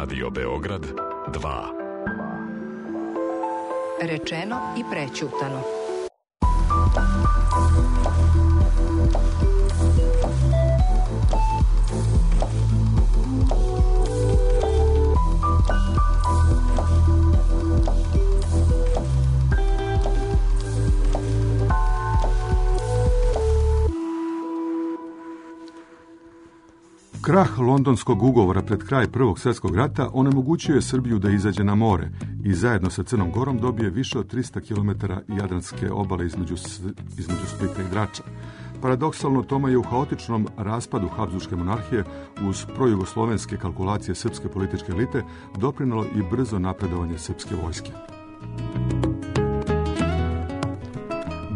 Radio Beograd 2. Rečeno i prećutano. Krah Londonskog ugovora pred kraj Prvog svjetskog rata onemogućio je Srbiju da izađe na more i zajedno sa Crnom Gorom dobije više od 300 km jadranske obale između Splita i Drača. Paradoksalno, tome je u haotičnom raspadu Habsburške monarhije uz projugoslovenske kalkulacije srpske političke elite doprinalo i brzo napredovanje srpske vojske.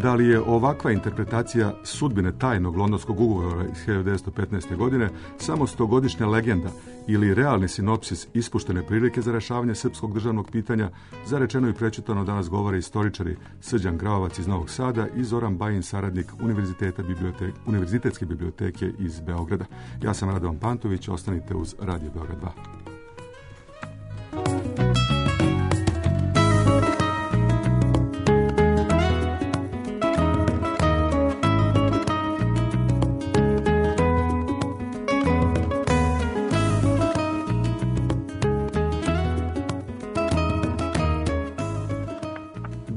Da li je ovakva interpretacija sudbine tajnog londonskog ugovora iz 1915. godine samo stogodišnja legenda ili realni sinopsis ispuštene prilike za rješavanje srpskog državnog pitanja, za rečeno i prećutano danas govore istoričari Srđan Gravovac iz Novog Sada i Zoran Bajin, saradnik Univerzitetske biblioteke iz Beograda. Ja sam Radovan Pantović, ostanite uz Radio Beograd 2.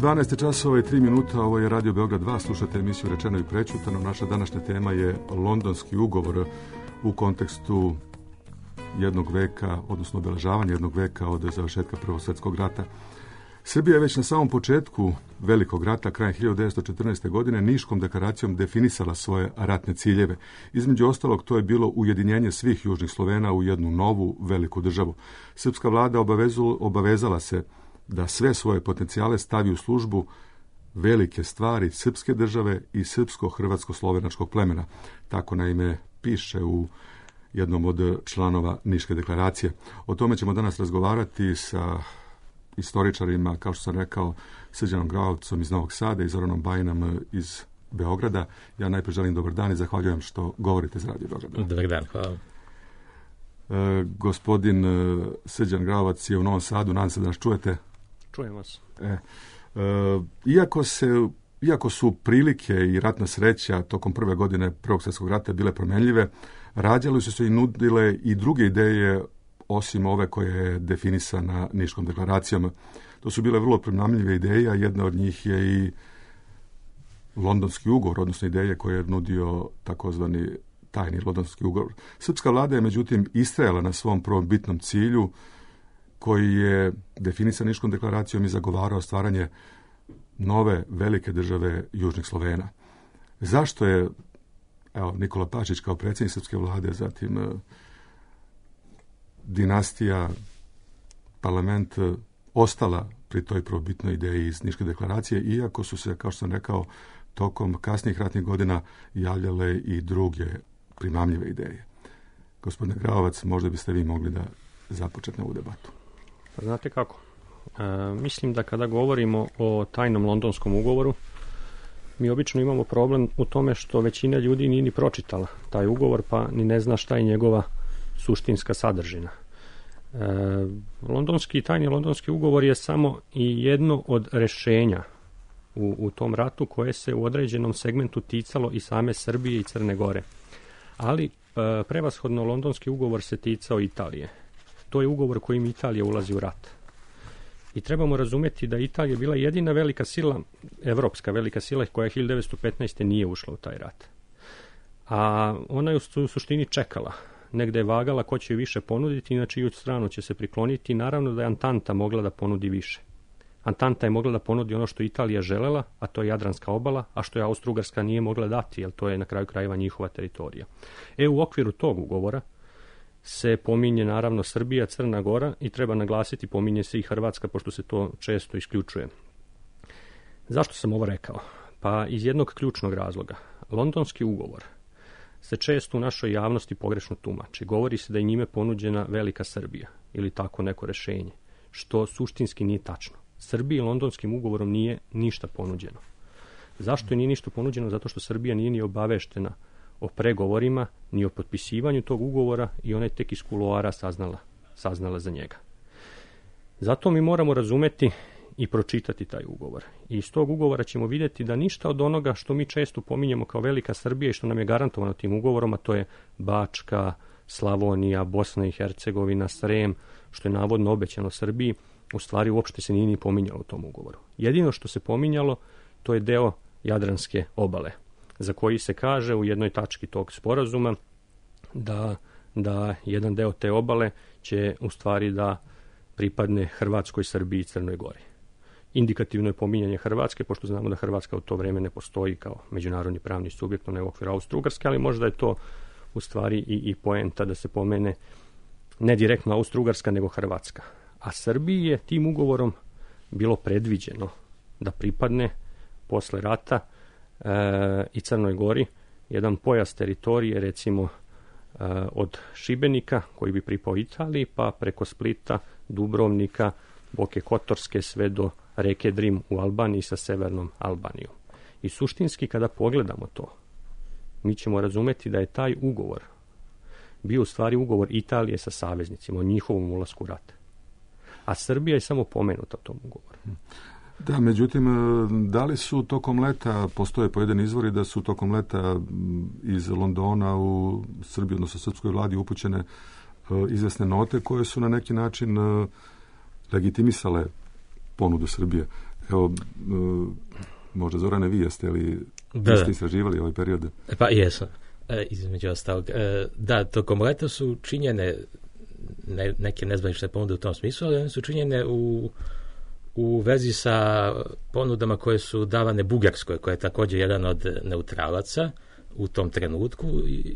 12 časova i 3 minuta, ovo je Radio Beograd 2, slušate emisiju Rečeno i prećutano. Naša današnja tema je Londonski ugovor u kontekstu jednog veka, odnosno obeležavanja jednog veka od završetka Prvog svjetskog rata. Srbija je već na samom početku Velikog rata, krajem 1914. godine, Niškom deklaracijom definisala svoje ratne ciljeve. Između ostalog, to je bilo ujedinjenje svih južnih Slovena u jednu novu veliku državu. Srpska vlada obavezala se da sve svoje potencijale stavi u službu velike stvari srpske države i srpsko-hrvatsko-slovenačkog plemena. Tako naime piše u jednom od članova Niške deklaracije. O tome ćemo danas razgovarati sa istoričarima, kao što sam rekao, Srđanom Gravovcom iz Novog Sada i Zoranom Bajinom iz Beograda. Ja najprije želim dobar dan i zahvaljujem što govorite za Radio Beograd. Dobar dan, hvala. Gospodin Srđan Gravovac je u Novom Sadu, nadam se da nas čujete. Čujem vas. Iako su prilike i ratna sreća tokom prve godine Prvog svjetskog rata bile promjenljive, rađale su se i nudile i druge ideje osim ove koje je definisana Niškom deklaracijom. To su bile vrlo primamljive ideje, a jedna od njih je i Londonski ugovor, odnosno ideje koje je nudio takozvani tajni Londonski ugovor. Srpska vlada je međutim istrajala na svom prvom bitnom cilju koji je definisan Niškom deklaracijom i zagovarao stvaranje nove velike države južnih Slovena. Zašto je Nikola Pašić kao predsjednik srpske vlade, zatim dinastija, parlament ostala pri toj prvobitnoj ideji iz Niške deklaracije, iako su se, kao što sam rekao, tokom kasnijih ratnih godina javljale i druge primamljive ideje. Gospodine Gravovac, možda biste vi mogli da započete ovu debatu. Znate kako? Mislim da kada govorimo o tajnom londonskom ugovoru, mi obično imamo problem u tome što većina ljudi nije ni pročitala taj ugovor, pa ni ne zna šta je njegova suštinska sadržina. Tajni londonski ugovor je samo i jedno od rešenja u tom ratu koje se u određenom segmentu ticalo i same Srbije i Crne Gore. Ali prevashodno londonski ugovor se ticao Italije. To je ugovor kojim Italija ulazi u rat. I trebamo razumjeti da Italija bila jedina velika sila, evropska velika sila, koja 1915. nije ušla u taj rat. A ona je u suštini čekala. Negde je vagala ko će više ponuditi, inače i u stranu će se prikloniti. Naravno da je Antanta mogla da ponudi više. Antanta je mogla da ponudi ono što Italija želela, a to je Jadranska obala, a što je Austro-Ugarska nije mogla dati, jer to je na kraju krajeva njihova teritorija. U okviru tog ugovora se pominje naravno Srbija, Crna Gora i treba naglasiti, pominje se i Hrvatska, pošto se to često isključuje. Zašto sam ovo rekao? Pa iz jednog ključnog razloga. Londonski ugovor se često u našoj javnosti pogrešno tumači. Govori se da je njime ponuđena velika Srbija ili tako neko rešenje, što suštinski nije tačno. Srbiji londonskim ugovorom nije ništa ponuđeno. Zašto je nije ništa ponuđeno? Zato što Srbija nije ni obaveštena o pregovorima, ni o potpisivanju tog ugovora i ona je tek iz kuloara saznala saznala za njega. Zato mi moramo razumeti i pročitati taj ugovor. I iz tog ugovora ćemo vidjeti da ništa od onoga što mi često pominjemo kao velika Srbija i što nam je garantovano tim ugovorom, a to je Bačka, Slavonija, Bosna i Hercegovina, Srem, što je navodno obećano Srbiji, u stvari uopšte se nije ni pominjalo u tom ugovoru. Jedino što se pominjalo, to je deo Jadranske obale, za koji se kaže u jednoj tački tog sporazuma da jedan deo te obale će u stvari da pripadne Hrvatskoj, Srbiji i Crnoj Gori. Indikativno je pominjanje Hrvatske, pošto znamo da Hrvatska u to vrijeme ne postoji kao međunarodni pravni subjekt, ne u okviru Austro-Ugarske, ali možda je to u stvari i poenta da se pomene ne direktno Austro-Ugarska, nego Hrvatska. A Srbiji je tim ugovorom bilo predviđeno da pripadne posle rata i Crnoj Gori jedan pojas teritorije, recimo od Šibenika, koji bi pripao Italiji, pa preko Splita, Dubrovnika, Boke Kotorske, sve do reke Drim u Albaniji sa severnom Albanijom. I suštinski, kada pogledamo to, mi ćemo razumeti da je taj ugovor bio u stvari ugovor Italije sa saveznicima o njihovom ulasku u rat. A Srbija je samo pomenuta u tom ugovoru. Da, međutim, da li su tokom leta, postoje pojedini izvori da su tokom leta iz Londona u Srbiji, odnosno srpskoj vladi, upućene izvesne note koje su na neki način legitimisale ponudu Srbije. Evo, možda Zorane, vi jeste li ste istraživali ovaj period? Pa jesam, između ostalog. Da, tokom leta su činjene neke nezvanične ponude u tom smislu, ali one su činjene u vezi sa ponudama koje su davane Bugarskoj, koja je također jedan od neutralaca u tom trenutku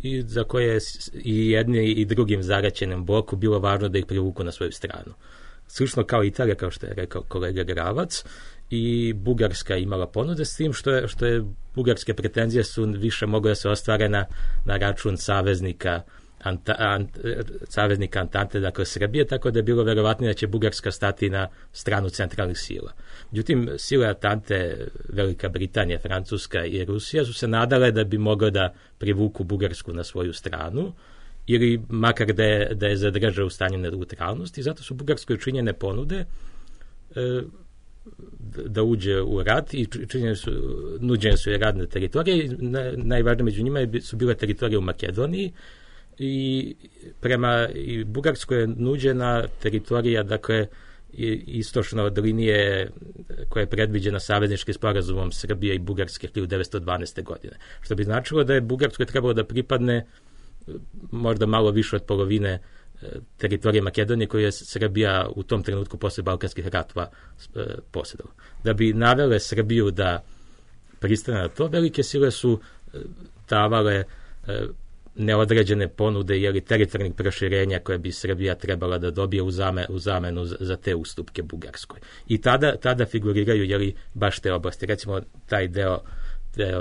i za koje je i jedni i drugim zaraćenom bloku bilo važno da ih privuku na svoju stranu. Slično kao Italija, kao što je rekao kolega Gravac, i Bugarska imala ponude, s tim što je bugarske pretenzije su više mogle da se ostvare na račun saveznika Antante, dakle Srbije, tako da je bilo verovatnije da će Bugarska stati na stranu centralnih sila. Međutim, sile Antante, Velika Britanija, Francuska i Rusija su se nadale da bi mogle da privuku Bugarsku na svoju stranu, ili makar da je zadrže u stanju neutralnosti, zato su Bugarskoj činjene ponude da uđe u rat i nuđene su i radne teritorije. Najvažnije među njima su bile teritorije u Makedoniji, i prema Bugarskoj je nuđena teritorija, dakle, istočno od linije koja je predviđena savezničkim sporazumom Srbije i Bugarske 1912. godine. Što bi značilo da je Bugarskoj trebalo da pripadne možda malo više od polovine teritorije Makedonije koju je Srbija u tom trenutku posle Balkanskih ratova posjedala. Da bi navele Srbiju da pristane na to, velike sile su davale neodređene ponude ili teritorijalnih proširenja koje bi Srbija trebala da dobije u zamenu za te ustupke Bugarskoj. I tada figuriraju baš te oblasti. Recimo taj deo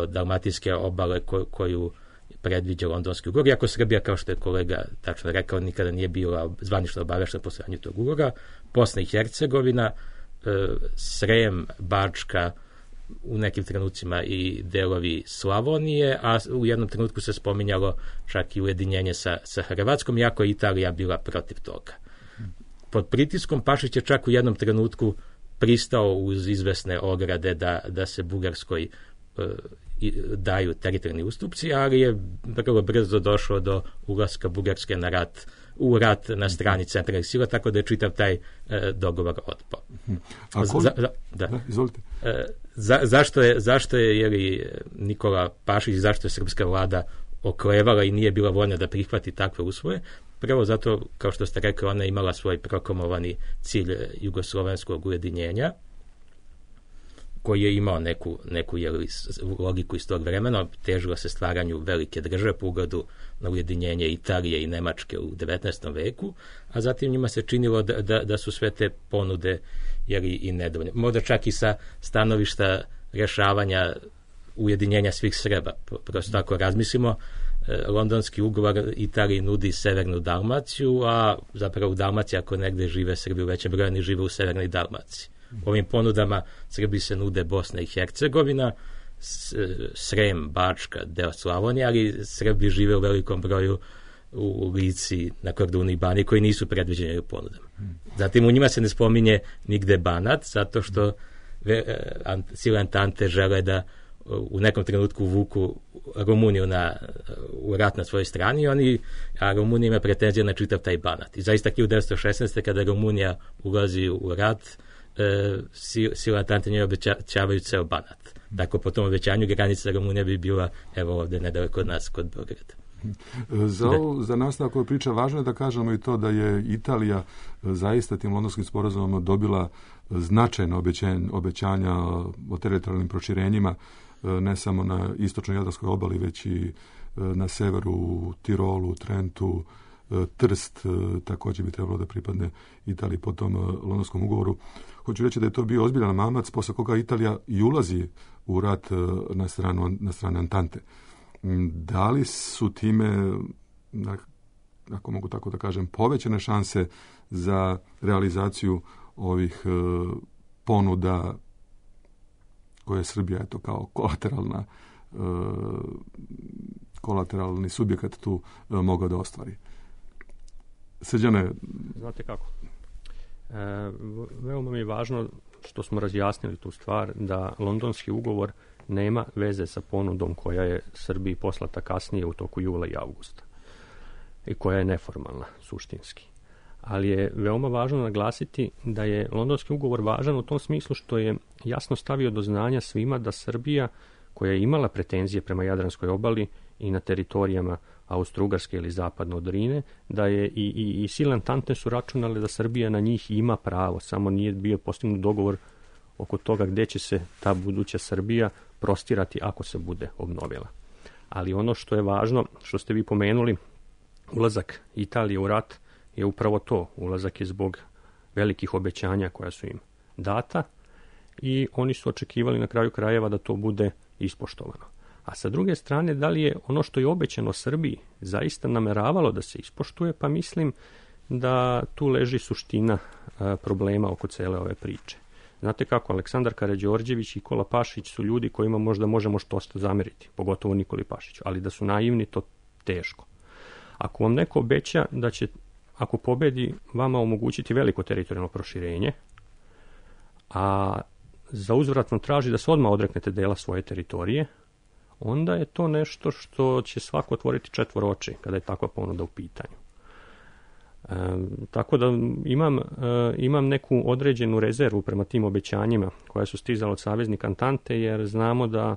Dalmatinske obale koju predviđa Londonski ugovor, iako Srbija, kao što je kolega tačno rekao, nikada nije bila zvanično obaveštena po postojanju tog ugovora. Bosna i Hercegovina, Srem, Bačka, u nekim trenucima i delovi Slavonije, a u jednom trenutku se spominjalo čak i ujedinjenje sa Hrvatskom, iako je Italija bila protiv toga. Pod pritiskom Pašić je čak u jednom trenutku pristao uz izvesne ograde da se Bugarskoj daju teritorijalni ustupci, ali je vrlo brzo došlo do ulaska Bugarske u rat na strani centralnih sila, tako da je čitav taj dogovor otpao. Izvolite. Zašto je Nikola Pašić, zašto je srpska vlada oklevala i nije bila voljna da prihvati takve usvoje? Prvo zato, kao što ste rekli, ona je imala svoj proklamovani cilj jugoslovenskog ujedinjenja, koji je imao neku logiku iz tog vremena, težilo se stvaranju velike države po ugledu na ujedinjenje Italije i Nemačke u 19. veku, a zatim njima se činilo da su sve te ponude i nedovoljne. Možda čak i sa stanovišta rješavanja ujedinjenja svih Srba. Prosto tako razmislimo, Londonski ugovor Italiji nudi severnu Dalmaciju, a zapravo u Dalmaciji, ako negde žive Srbi u većem broju, oni žive u severnoj Dalmaciji. Ovim ponudama Srbiji se nude Bosna i Hercegovina, Srem, Bačka, deo Slavonije, ali Srbi žive u velikom broju u Lici, na Kordunu i Bani koji nisu predviđeni u ponudama. Zatim u njima se ne spominje nigde Banat, zato što sile Antante žele da u nekom trenutku uvuku Rumuniju u rat na svojoj strani, a Rumunija ima pretenzije na čitav taj Banat. I zaista 1916. kada Rumunija ulazi u rat, sile Antante njoj obećavaju ceo Banat. Tako po tom obećanju granica Rumunije bi bila evo ovde nedaleko od nas kod Beograda. Za nastavak ove priče važno je da kažemo i to da je Italija zaista tim londonskim sporazumom dobila značajno obećanja o teritorijalnim proširenjima, ne samo na istočnoj Jadranskoj obali, već i na severu, Tirolu, Trentu, Trst također bi trebalo da pripadne Italiji po tom londonskom ugovoru. Hoću reći da je to bio ozbiljan mamac posle koga Italija i ulazi u rat na stranu Antante. Da li su time, ako mogu tako da kažem, povećane šanse za realizaciju ovih ponuda koje je Srbija eto kao kolateralni subjekat tu mogao da ostvari? Srđane? Znate kako? Veoma mi je važno što smo razjasnili tu stvar da londonski ugovor nema veze sa ponudom koja je Srbiji poslata kasnije u toku jula i avgusta i koja je neformalna suštinski. Ali je veoma važno naglasiti da je londonski ugovor važan u tom smislu što je jasno stavio do znanja svima da Srbija, koja je imala pretenzije prema Jadranskoj obali i na teritorijama Austro-Ugarske ili zapadno od Rine, da je i sile Antante su računale da Srbija na njih ima pravo, samo nije bio postignut dogovor oko toga gde će se ta buduća Srbija prostirati ako se bude obnovila. Ali ono što je važno, što ste vi pomenuli, ulazak Italije u rat je upravo to. Ulazak je zbog velikih obećanja koja su im data i oni su očekivali na kraju krajeva da to bude ispoštovano. A sa druge strane, da li je ono što je obećano Srbiji zaista nameravalo da se ispoštuje, pa mislim da tu leži suština problema oko cele ove priče. Znate kako, Aleksandar Karađorđević i Nikola Pašić su ljudi kojima možda možemo što zameriti, pogotovo Nikoli Pašiću, ali da su naivni, to teško. Ako vam neko obeća da će, ako pobedi, vama omogućiti veliko teritorijalno proširenje, a za uzvrat vam traži da se odmah odreknete dela svoje teritorije, onda je to nešto što će svako otvoriti četvoro oči kada je takva ponuda u pitanju. Tako da imam neku određenu rezervu prema tim obećanjima koja su stizala od saveznika Antante, jer znamo da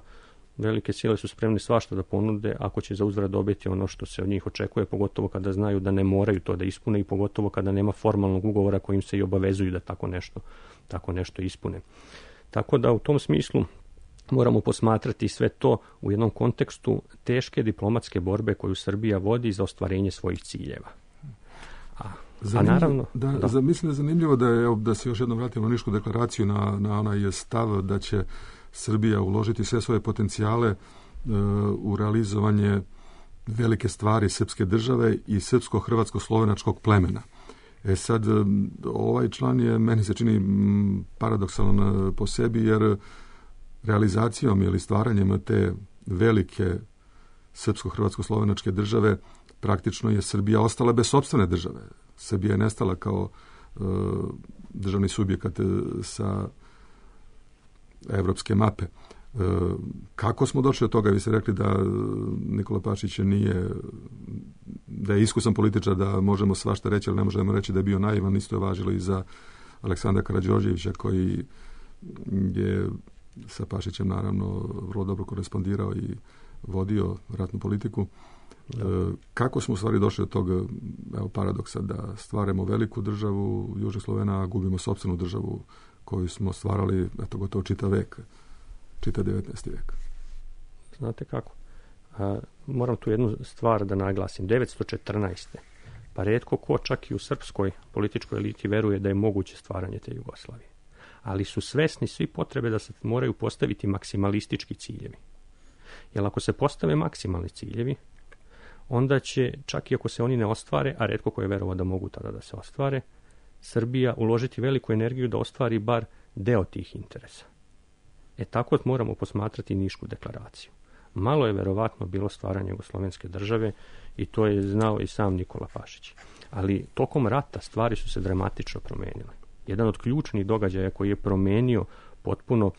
velike sile su spremne svašta da ponude ako će za uzvrat dobiti ono što se od njih očekuje, pogotovo kada znaju da ne moraju to da ispune i pogotovo kada nema formalnog ugovora kojim se i obavezuju da tako nešto ispune. Tako da u tom smislu moramo posmatrati sve to u jednom kontekstu teške diplomatske borbe koju Srbija vodi za ostvarenje svojih ciljeva. Naravno, mislim da je zanimljivo da se još jednom vratimo na Nišku deklaraciju, na onaj stav da će Srbija uložiti sve svoje potencijale u realizovanje velike stvari srpske države i srpsko-hrvatsko-slovenačkog plemena. Sad, ovaj član je, meni se čini paradoksalan po sebi, jer realizacijom ili stvaranjem te velike srpsko-hrvatsko-slovenačke države praktično je Srbija ostala bez sopstvene države. Srbija je nestala kao državni subjekat sa evropske mape. Kako smo došli od toga? Vi ste rekli da Nikola Pašić da je iskusan političar, da možemo svašta reći, ali ne možemo reći da je bio naivan. Isto je važilo i za Aleksandra Karađorđevića, koji je sa Pašićem naravno vrlo dobro korespondirao i vodio ratnu politiku. Kako smo u stvari došli od tog paradoksa da stvaramo veliku državu Južnih Slovena, a gubimo sopstvenu državu koju smo stvarali gotovo čitav 19. vek? Znate kako? Moram tu jednu stvar da naglasim. 1914. Pa retko ko čak i u srpskoj političkoj eliti veruje da je moguće stvaranje te Jugoslavije. Ali su svesni svi potrebe da se moraju postaviti maksimalistički ciljevi. Jer ako se postave maksimalni ciljevi, onda će, čak i ako se oni ne ostvare, a retko ko je verovao da mogu tada da se ostvare, Srbija uložiti veliku energiju da ostvari bar deo tih interesa. Tako moramo posmatrati Nišku deklaraciju. malo je verovatno bilo stvaranje jugoslovenske države i to je znao i sam Nikola Pašić. Ali tokom rata stvari su se dramatično promenile. Jedan od ključnih događaja koji je promenio potpuno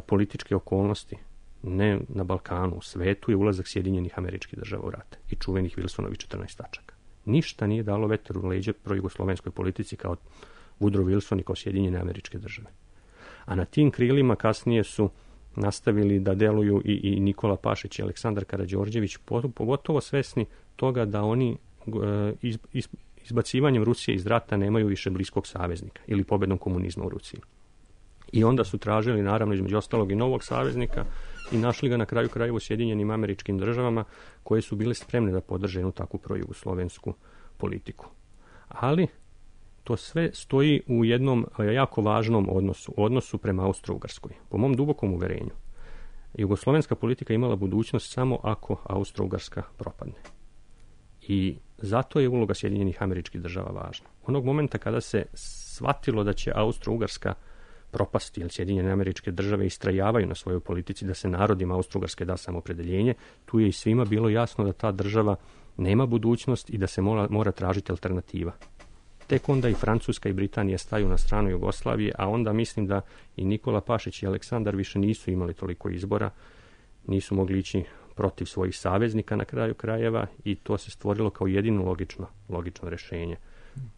političke okolnosti, ne na Balkanu, u svetu, je ulazak Sjedinjenih Američkih Država u rat i čuvenih Wilsonovih 14 tačaka. Ništa nije dalo vetar u leđe projugoslovenskoj politici kao Woodrow Wilson i kao Sjedinjene Američke Države. A na tim krilima kasnije su nastavili da deluju i Nikola Pašić i Aleksandar Karađorđević, pogotovo svesni toga da oni izbacivanjem Rusije iz rata nemaju više bliskog saveznika ili pobedom komunizma u Rusiji. I onda su tražili, naravno, između ostalog i novog saveznika i našli ga na kraju krajeva u Sjedinjenim Američkim Državama, koje su bile spremne da podrže jednu takvu projugoslovensku politiku. Ali to sve stoji u jednom jako važnom odnosu prema Austro-Ugarskoj. Po mom dubokom uverenju, jugoslovenska politika imala budućnost samo ako Austro-Ugarska propadne. I zato je uloga Sjedinjenih Američkih Država važna. Onog momenta kada se shvatilo da će Austro-Ugarska propasti, jer Sjedinjene Američke Države istrajavaju na svojoj politici da se narodima Austro-Ugarske da samoopredeljenje, tu je i svima bilo jasno da ta država nema budućnost i da se mora tražiti alternativa. Tek onda i Francuska i Britanija staju na stranu Jugoslavije, a onda mislim da i Nikola Pašić i Aleksandar više nisu imali toliko izbora, nisu mogli ići protiv svojih saveznika na kraju krajeva i to se stvorilo kao jedino logično rješenje.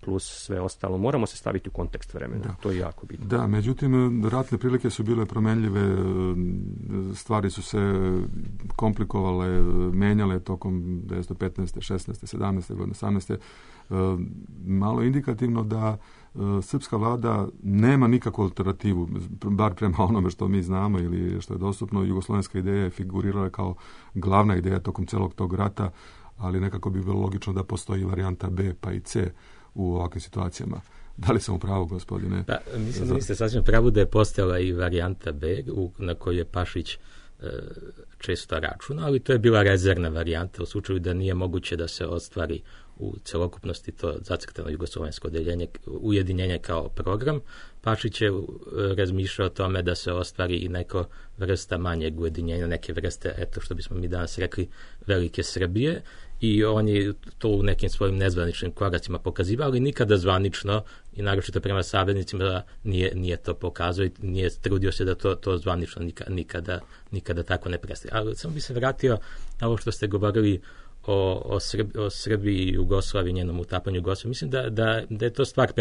Plus sve ostalo. Moramo se staviti u kontekst vremena. Da. To je jako bitno. Da, međutim, ratne prilike su bile promenljive, stvari su se komplikovale, menjale tokom 1915. 16. 17. godine, 18. Malo indikativno da srpska vlada nema nikakvu alternativu, bar prema onome što mi znamo ili što je dostupno. Jugoslovenska ideja je figurirala kao glavna ideja tokom celog tog rata, ali nekako bi bilo logično da postoji varijanta B pa i C u ovakvim situacijama. Da li sam u pravu, gospodine? Pa, mislim da niste sasvim pravu da je postojala i varijanta B na kojoj je Pašić često računa, ali to je bila rezervna varijanta u slučaju da nije moguće da se ostvari u celokupnosti to zacrtano jugoslovensko ujedinjenje kao program. Pašić je razmišljao o tome da se ostvari i neko vrsta manjeg ujedinjenja, neke vrste, eto što bismo mi danas rekli, velike Srbije, i on je to u nekim svojim nezvaničnim koracima pokazivao, ali nikada zvanično i naročito prema saveznicima nije to pokazao i nije trudio se da to zvanično nikada tako ne predstavi. Ali samo bi se vratio na ovo što ste govorili o Srbiji i Jugoslaviji, njenom utapanju Jugoslaviji. Mislim da je to stvar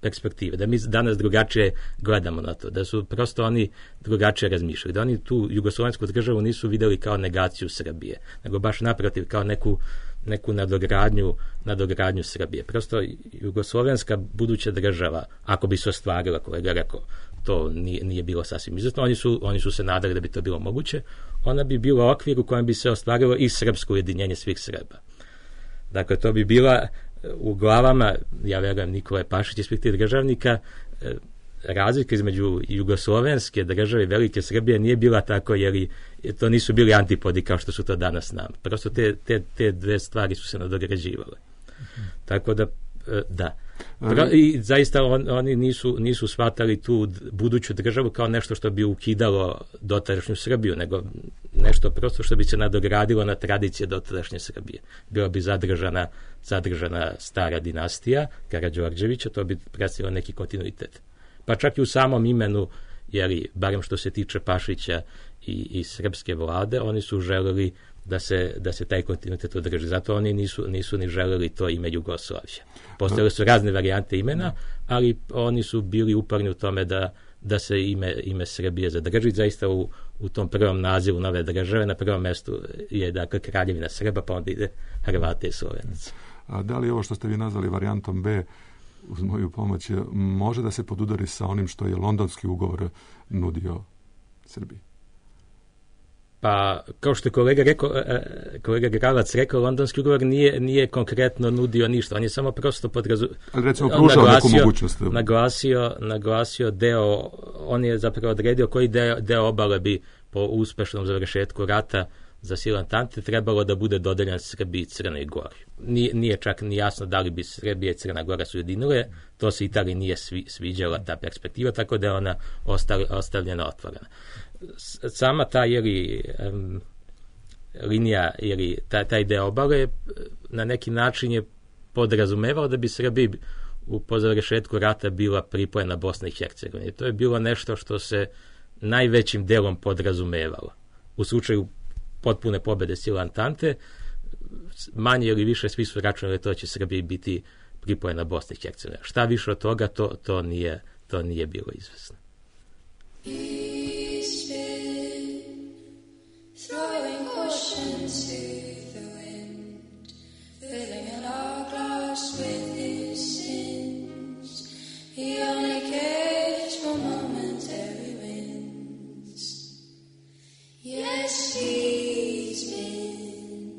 perspektive, da mi danas drugačije gledamo na to, da su prosto oni drugačije razmišljali, da oni tu jugoslovensku državu nisu videli kao negaciju Srbije, nego baš naprotiv kao neku nadogradnju Srbije. Prosto jugoslovenska buduća država, ako bi se ostvarila, kolega rekao, to nije bilo sasvim izuzetno. Oni su se nadali da bi to bilo moguće. Ona bi bila okvir u kojem bi se ostvarilo i srpsko ujedinjenje svih Srba. Dakle, to bi bila u glavama, ja verujem, Nikole Pašić i svih tih državnika, razlika između jugoslovenske države i velike Srbije nije bila tako, jer to nisu bili antipodi kao što su to danas nam. Prosto te dve stvari su se nadograđivale. Tako da. I zaista oni nisu shvatali tu buduću državu kao nešto što bi ukidalo dotadašnju Srbiju, nego nešto prosto što bi se nadogradilo na tradicije dotadašnje Srbije. Bila bi zadržana stara dinastija Karađorđevića, to bi predstavilo neki kontinuitet. Pa čak i u samom imenu, jer barem što se tiče Pašića i srpske vlade, oni su želeli da se taj kontinuitet održi. Zato oni nisu ni želeli to ime Jugoslavija. Postojale su razne varijante imena, ali oni su bili uporni u tome da se ime Srbije zadrži. Zaista u tom prvom nazivu nove države na prvom mestu je dakle Kraljevina Srba, pa onda ide Hrvate i Slovenaca. A da li ovo što ste vi nazvali varijantom B, uz moju pomoć, može da se podudari sa onim što je Londonski ugovor nudio Srbiji? Pa, kao što je kolega Gravac rekao, Londonski ugovor nije konkretno nudio ništa. On je samo prosto naglasio deo, on je zapravo odredio koji deo obale bi po uspešnom završetku rata za silu Antante trebalo da bude dodeljen Srbiji i Crnoj Gori. Nije čak ni jasno da li bi Srbija i Crna Gora se ujedinile, to se Italiji nije sviđala ta perspektiva, tako da je ona ostavljena otvorena. Sama ta linija ili taj deo obale na neki način je podrazumevao da bi Srbiji po završetku rata bila pripojena Bosna i Hercegovina. To je bilo nešto što se najvećim delom podrazumevalo. U slučaju potpune pobede sila Antante, manje ili više svi su računali to će Srbiji biti pripojena Bosna i Hercegovina. Šta više od toga, to nije bilo izvesno. Throwing caution to the wind, filling an hourglass with his sins. He only cares for momentary wins. Yes, he's been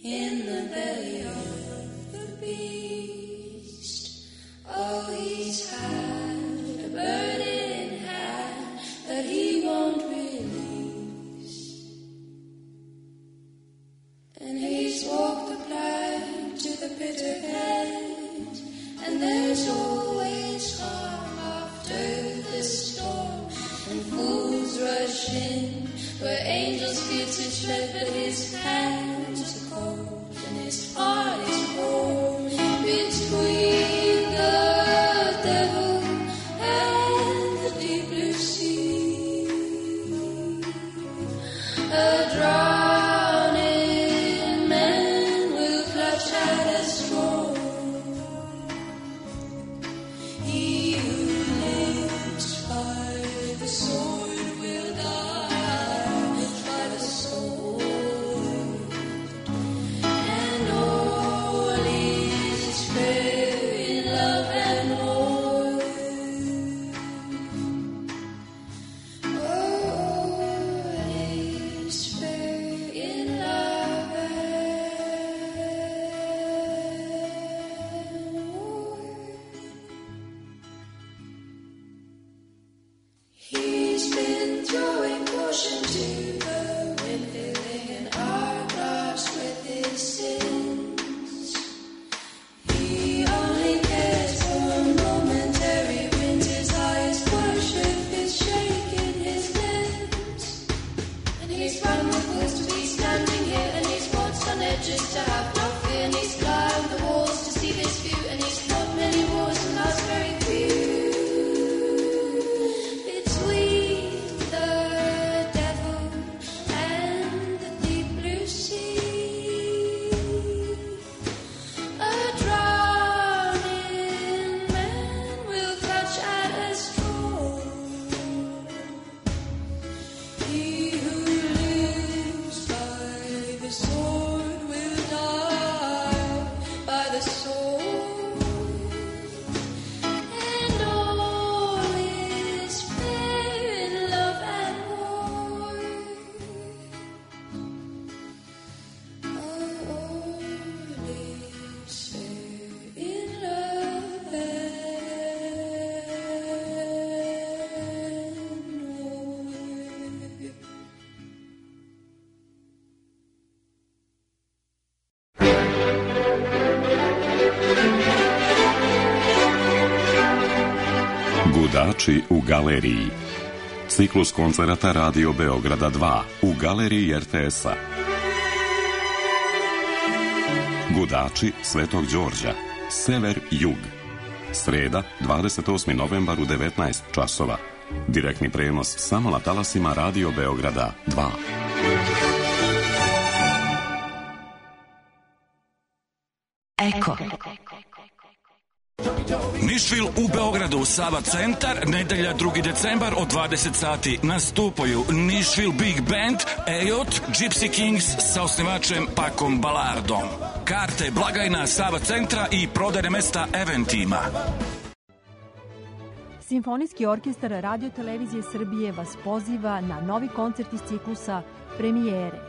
in the belly of the beast. Oh, he's had a bird in hand that he won't release. And he's walked the plank to the bitter end, and there's always calm after the storm, and fools rush in where angels fear to tread, but his hands are cold and his heart is warm. Between the devil and the deep blue sea, a drowning man will clutch at a straw. He who lives by the sword will die by the sword, and all is fair in love and war. All is fair in love and war. He's been throwing caution to the wind, filling an hourglass with his sins. He only cares for momentary wins. His highest worship is shaking his limbs. And he's run the fools to be standing here, and he's walked on edges to have no fear, and he's climbed the walls to see this view, and he's fought many wars and lost very few. Between the devil and the deep blue sea, a drowning man will clutch at a straw. He who lives by the sword will die by the sword, and all is fair in love and war. All is fair in love and war. Gudači u galeriji. Ciklus koncerata Radio Beograda 2 u galeriji RTS-a. Gudači Svetog Đorđa. Sever-Jug. Sreda, 28. novembar u 19 časova. Direktni prenos samo na talasima Radio Beograda 2. Eko. Nišvil u Beogradu, Sava centar, nedelja 2. decembar od 20 sati. Nastupaju Nišvil Big Band, Ejot, Gypsy Kings sa osnivačem Pakom Balardom. Karte blagajna Sava centra i prodajne mesta Eventima. Simfonijski orkestar Radio Televizije Srbije vas poziva na novi koncert iz ciklusa Premijere.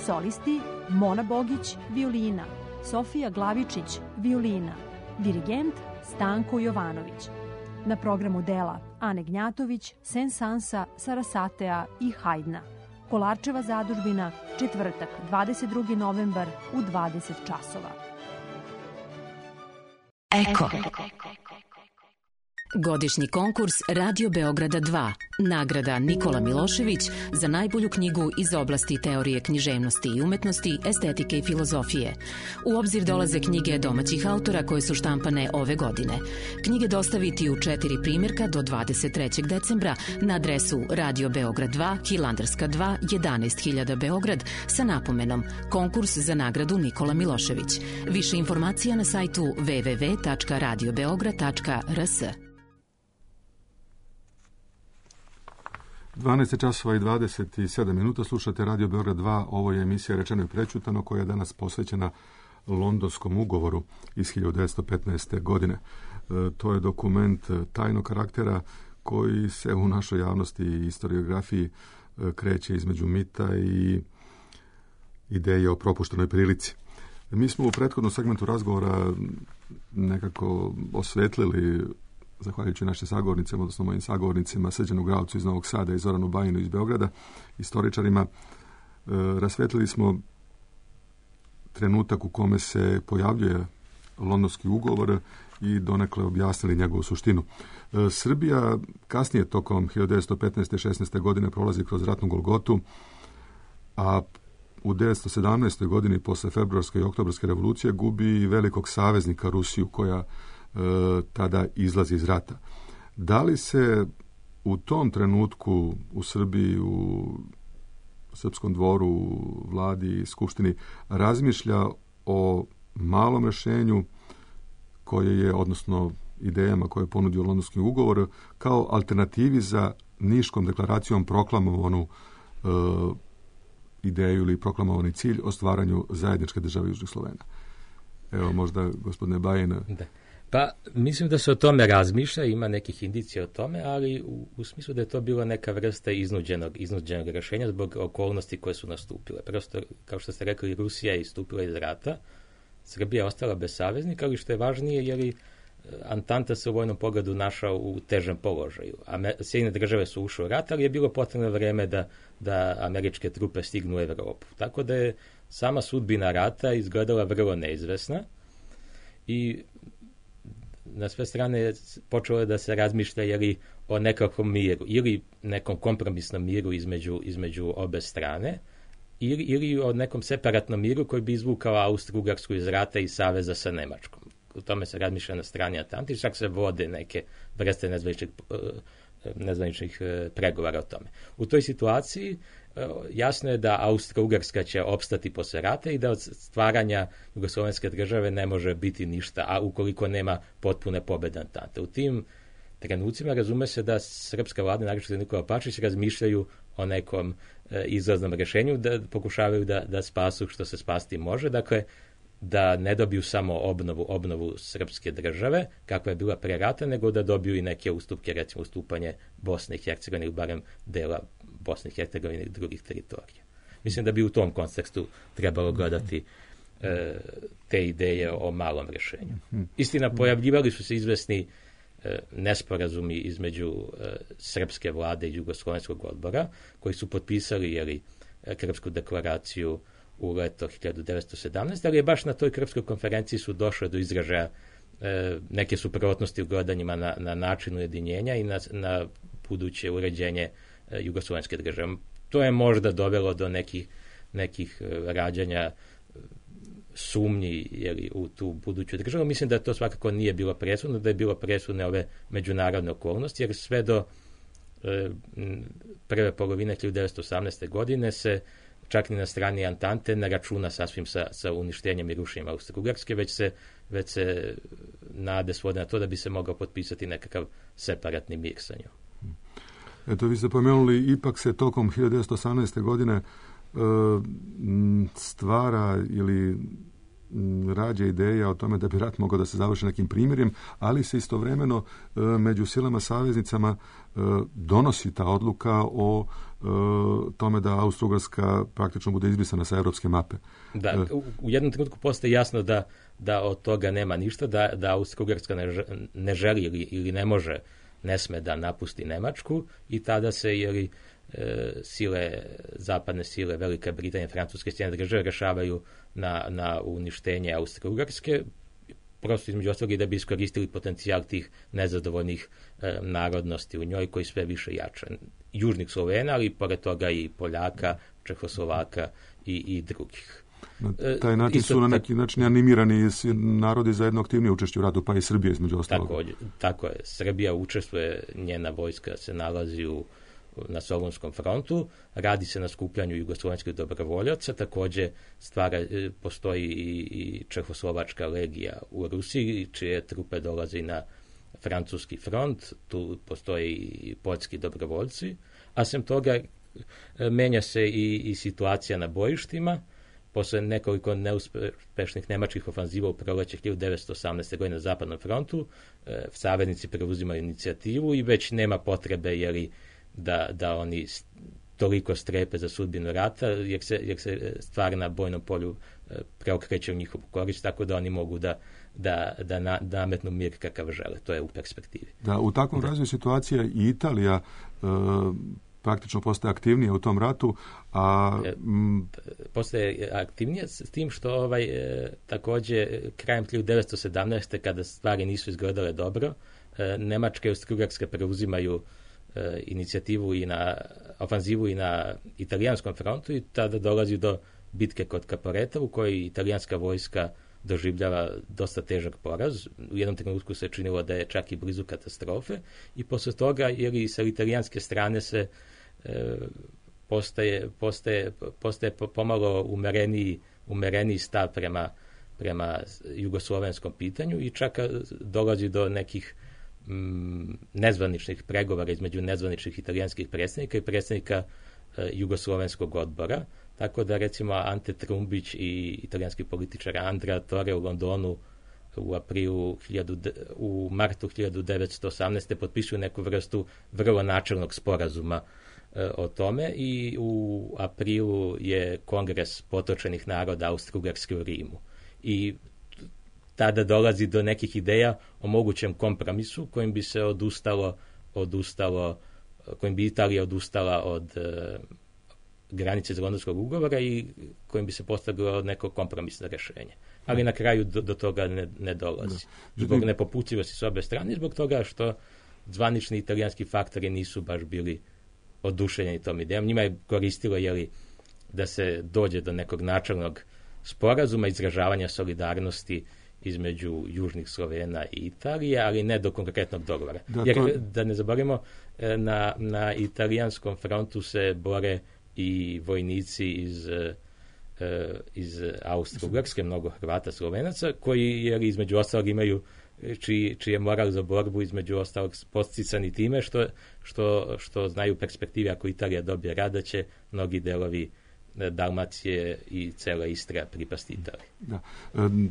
Solisti Mona Bogić, violina, Sofija Glavičić, violina, dirigent Stanko Jovanović. Na programu dela Ane Gnjatović, Sensansa, Sarasatea i Hajdna. Kolarčeva zadužbina, četvrtak, 22. novembar u 20 časova. Eko. Godišnji konkurs Radio Beograda 2. Nagrada Nikola Milošević za najbolju knjigu iz oblasti teorije književnosti i umetnosti, estetike i filozofije. U obzir dolaze knjige domaćih autora koje su štampane ove godine. Knjige dostaviti u 4 primjerka do 23. decembra na adresu Radio Beograd 2, Hilandarska 2, 11.000 Beograd sa napomenom Konkurs za nagradu Nikola Milošević. Više informacija na sajtu www.radiobeograd.rs. 12 časova i 27 minuta, slušate Radio Beograd 2, ovo je emisija Rečeno i prečutano koja je danas posvećena Londonskom ugovoru iz 1915. godine. To je dokument tajnog karaktera koji se u našoj javnosti i historiografiji kreće između mita i ideje o propuštenoj prilici. Mi smo u prethodnom segmentu razgovora nekako osvetlili, zahvaljujući našim sagovornicima, odnosno mojim sagovornicima, Srđanu Gravcu iz Novog Sada i Zoranu Bajinu iz Beograda, istoričarima, rasvetlili smo trenutak u kome se pojavljuje Londonski ugovor i donekle objasnili njegovu suštinu. Srbija kasnije tokom 1915. i 16. godine prolazi kroz ratnu golgotu, a u 1917. godini posle februarske i oktobarske revolucije gubi velikog saveznika Rusiju koja tada izlazi iz rata. Da li se u tom trenutku u Srbiji, u Srpskom dvoru, u vladi i skupštini razmišlja o malom rešenju koje je, odnosno idejama koje je ponudio Londonski ugovor, kao alternativi za Niškom deklaracijom proklamovanu ideju ili proklamovani cilj o stvaranju zajedničke države Južnih Slovena? Evo, možda, gospodine Bajin. Da. Pa, mislim da se o tome razmišlja, ima nekih indicija o tome, ali u smislu da je to bila neka vrsta iznuđenog rešenja zbog okolnosti koje su nastupile. Prosto, kao što ste rekli, Rusija je istupila iz rata, Srbija je ostala bez saveznika, ali što je važnije, jer i Antanta se u vojnom pogledu našao u težem položaju. Sjedinjene države su ušle u rat, ali je bilo potrebno vreme da američke trupe stignu u Evropu. Tako da je sama sudbina rata izgledala vrlo neizvesna i na sve strane počelo je da se razmišlja o nekakvom miru ili nekom kompromisnom miru između obe strane ili o nekom separatnom miru koji bi izvukao Austro-Ugarsku iz rata i saveza sa Nemačkom. U tome se razmišlja na strani Antante, čak se vode neke vrste nezvaničnih pregovora o tome. U toj situaciji jasno je da Austro-Ugarska će opstati posle rata i da od stvaranja jugoslovenske države ne može biti ništa, a ukoliko nema potpune pobede Antante. U tim trenucima razume se da srpska vlada, naročito Nikola Pašić, razmišljaju o nekom izlaznom rešenju, da pokušavaju da spasu što se spasti može, dakle da ne dobiju samo obnovu srpske države, kakva je bila pre rata, nego da dobiju i neke ustupke, recimo ustupanje Bosne i Hercegovine ili barem dela Bosne i Hercegovine i drugih teritorija. Mislim da bi u tom kontekstu trebalo gledati te ideje o malom rešenju. Istina, pojavljivali su se izvesni nesporazumi između srpske vlade i Jugoslovenskog odbora, koji su potpisali Krfsku deklaraciju u leto 1917, ali je baš na toj Krfskoj konferenciji su došle do izražaja neke suprotnosti u gledanjima na način ujedinjenja i na buduće uređenje jugoslovenske države. To je možda dovelo do nekih rađanja sumnji u tu buduću državu. Mislim da to svakako nije bilo presudno, da je bilo presudne ove međunarodne okolnosti, jer sve do prve polovine 1918. godine se čak ni na strani Antante ne računa sasvim sa uništenjem i rušenjem Austro-Ugarske, već se nade svode na to da bi se mogao potpisati nekakav separatni mir sa njom. Eto, vi ste pomenuli, ipak se tokom 1918. godine stvara ili rađa ideja o tome da bi rat mogao da se završi nekim primjerjem, ali se istovremeno među silama saveznicama donosi ta odluka o tome da Austro-Ugarska praktično bude izbrisana sa evropske mape. Da, u jednom trenutku postaje jasno da od toga nema ništa, da Austro-Ugarska ne želi ili ne može, ne sme da napusti Nemačku i tada se zapadne sile Velike Britanije, Francuske, Sjedinjene države rešavaju na uništenje Austro-Ugarske. prosto između ostalog i da bi iskoristili potencijal tih nezadovoljnih narodnosti u njoj koji sve više jača. Južnih Slovena, ali pored toga i Poljaka, Čehoslovaka i drugih. Na taj način su na neki način animirani narodi za jedno aktivnije učešće u ratu, pa i Srbija između ostalog. Tako je. Srbija učestvuje, njena vojska se nalazi na Solunskom frontu, radi se na skupljanju jugoslovenskih dobrovoljaca, također postoji i Čehoslovačka legija u Rusiji, čije trupe dolaze i na francuski front, tu postoje i poljski dobrovoljci, a sem toga menja se i situacija na bojištima. Posle nekoliko neuspešnih nemačkih ofanziva u proleće 1918. godine na Zapadnom frontu, saveznici preuzimaju inicijativu i već nema potrebe da oni toliko strepe za sudbinu rata, jer se stvar na bojnom polju preokreće u njihovu korist, tako da oni mogu da nametnu mir kakav žele. To je u perspektivi. Da, u takvom razvoju situacija i Italija praktično postaje aktivnije u tom ratu, postaje aktivnije s tim što također krajem 1917. kada stvari nisu izgledale dobro, Nemačka i Austro-Ugarska preuzimaju inicijativu i na ofanzivu i na italijanskom frontu i tada dolazi do bitke kod Caporeta u kojoj italijanska vojska doživljava dosta težak poraz. U jednom trenutku se činilo da je čak i blizu katastrofe i posle toga sa italijanske strane se postaje pomalo umereniji stav prema jugoslovenskom pitanju i čak dolazi do nekih nezvaničnih pregovora između nezvaničnih italijanskih predstavnika i predstavnika jugoslovenskog odbora. Tako da recimo Ante Trumbić i italijanski političar Andrea Torre u Londonu u martu 1918. potpisuju neku vrstu vrlo načelnog sporazuma o tome i u aprilu je Kongres potočenih naroda Austro-Ugarske u Rimu. I tada dolazi do nekih ideja o mogućem kompromisu kojim bi se kojim bi Italija odustala od granice iz Londonskog ugovora i kojim bi se postavilo neko kompromisno rješenje. Ali na kraju do toga ne dolazi. Zbog nepoputljivosti s obe strane, zbog toga što zvanični italijanski faktori nisu baš bili oduševljeni tom idejom. Njima je koristilo da se dođe do nekog načelnog sporazuma, izražavanja solidarnosti između južnih Slovena i Italije, ali ne do konkretnog dogovora. Jer da ne zaboravimo, na italijanskom frontu se bore i vojnici iz Austro-Ugarske, mnogo Hrvata, Slovenaca, koji između ostalog imaju čiji je moral za borbu između ostalog posticani time što znaju perspektive ako Italija dobije rat da će mnogi delovi Dalmacije i cela Istra pripasti Italiji.